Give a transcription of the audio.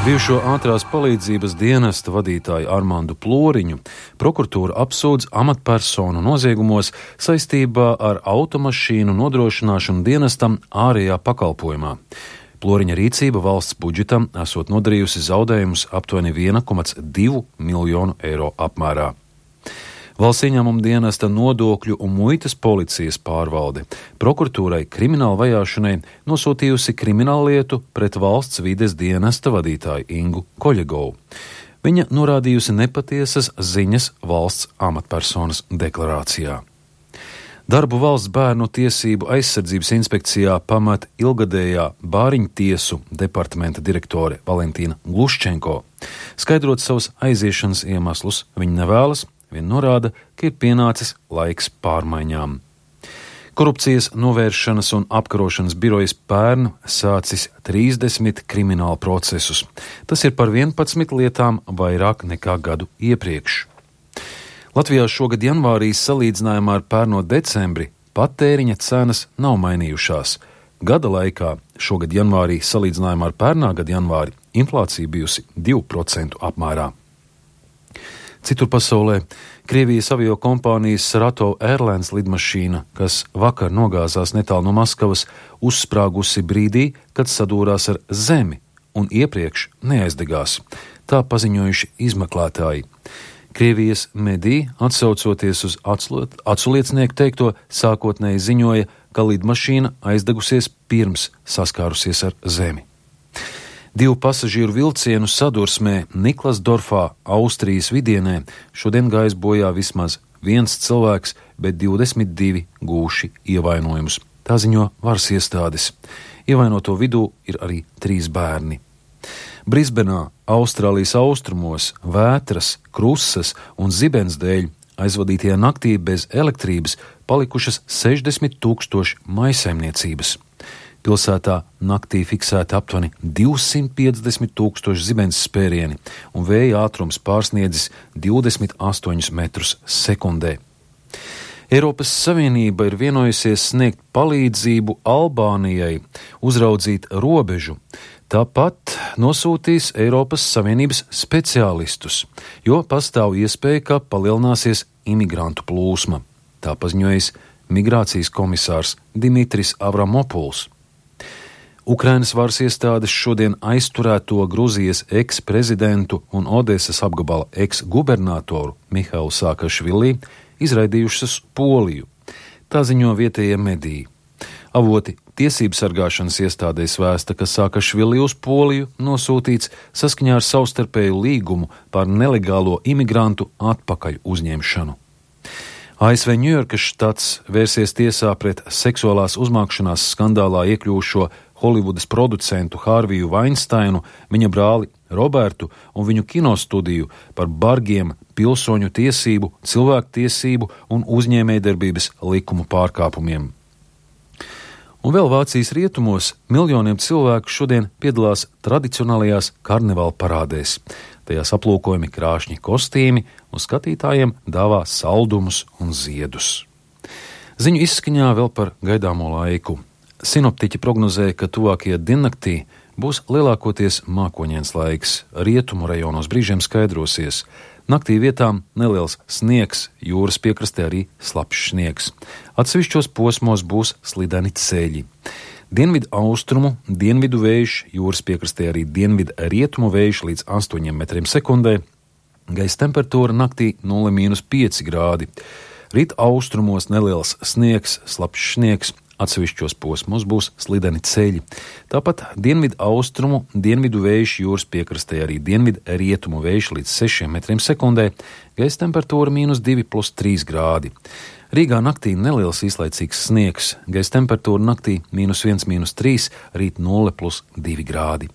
Bijušo ātrās palīdzības dienesta vadītāju Armandu Ploriņu prokuratūra apsūdz amatpersonu noziegumos saistībā ar automašīnu nodrošināšanu dienestam ārējā pakalpojumā. Ploriņa rīcība valsts budžetam esot nodarījusi zaudējumus aptuveni 1,2 miljonu eiro apmērā. Valsts ieņēmuma dienesta nodokļu un muitas policijas pārvalde prokuratūrai krimināla vajāšanai nosūtījusi krimināllietu pret valsts vides dienesta vadītāju Ingu Koļegovu. Viņa norādījusi nepatiesas ziņas valsts amatpersonas deklarācijā. Darbu valsts bērnu tiesību aizsardzības inspekcijā pamat ilgadējā Bāriņtiesu departamenta direktore Valentīna Gluščenko. Skaidrot savus aiziešanas iemeslus, viņa nevēlas, vien norāda, ka ir pienācis laiks pārmaiņām. Korupcijas novēršanas un apkarošanas birojas pērn sācis 30 kriminālu procesus. Tas ir par 11 lietām vairāk nekā gadu iepriekš. Latvijā šogad janvārī salīdzinājumā ar pērno decembri patēriņa cenas nav mainījušās. Gada laikā šogad janvārī salīdzinājumā ar pērnā gada janvāri inflācija bijusi 2% apmērā. Citur pasaulē Krievijas avio kompānijas Saratov Airlines lidmašīna, kas vakar nogāzās netālu no Maskavas, uzsprāgusi brīdī, kad sadūrās ar zemi un iepriekš neaizdegās. Tā paziņojuši izmeklētāji. Krievijas mediji, atsaucoties uz aculiecinieku teikto, sākotnēji ziņoja, ka lidmašīna aizdegusies pirms saskārusies ar zemi. 2 pasažieru vilcienu sadursmē Niklasdorfā, Austrijas vidienē, šodien gājis bojā vismaz 1 cilvēks, bet 22 gūši ievainojumus. Tā ziņo varas iestādes. Ievainoto vidū ir arī 3 bērni. Brisbenā, Austrālijas austrumos, vētras, krusas un zibens dēļ aizvadītajā naktī bez elektrības palikušas 60 000 maisaimniecības. Pilsētā naktī fiksēta aptuveni 250 000 zibens spērieni un vēja ātrums pārsniedzis 28 metrus sekundē. Eiropas Savienība ir vienojusies sniegt palīdzību Albānijai uzraudzīt robežu. Tāpat nosūtīs Eiropas Savienības speciālistus, jo pastāv iespēja, ka palielināsies imigrantu plūsma. Tā paziņojis migrācijas komisārs Dimitris Avramopuls. Ukrainas varas iestādes šodien aizturēto Gruzijas eksprezidentu un Odesas apgabala eksgubernatoru Mihailu Saakašvili izraidījušas uz Poliju. Tā ziņo vietējie mediji. Avoti tiesību sargāšanas iestādēs vēsta, ka Saakašvili uz Poliju nosūtīts saskaņā ar savstarpēju līgumu par nelegālo imigrantu atpakaļ uzņemšanu. ASV Ņujorkas štats vērsies tiesā pret seksuālās uzmākšanās skandālā iekļūšo Holivudas producentu Hārviju Vainsteinu, viņa brāli Robertu un viņu kinostudiju par bargiem pilsoņu tiesību, cilvēktiesību un uzņēmējdarbības likumu pārkāpumiem. Un vēl Vācijas rietumos miljoniem cilvēku šodien piedalās tradicionālajās karnevāla parādēs. Tajās aplūkojami krāšņi kostīmi un skatītājiem dāvā saldumus un ziedus. Ziņu izskaņā vēl par gaidāmo laiku. Sinoptiķi prognozēja, ka tuvākajā diennaktī būs lielākoties mākoņains laiks, rietumu rajonos brīžiem skaidrosies. Naktī vietām neliels sniegs, jūras piekrastē arī slapjš sniegs. Atsevišķos posmos būs slideni ceļi. Dienvidu austrumu, dienvidu vējš, jūras piekrastē arī dienvidu rietumu vējš līdz 8 metriem sekundē. Gaisa temperatūra naktī 0,5 grādi. Rīt austrumos neliels sniegs, slapjš sniegs. Atsevišķos posmos būs slideni ceļi. Tāpat dienvidu austrumu, dienvidu vējš, jūras piekrastē arī dienvidu rietumu vējš līdz 6 metriem sekundē, gaisa temperatūra -2,3 grādi. Rīgā naktī neliels īslaicīgs sniegs, gaisa temperatūra naktī -1, -3, rīt 0,2 grādi.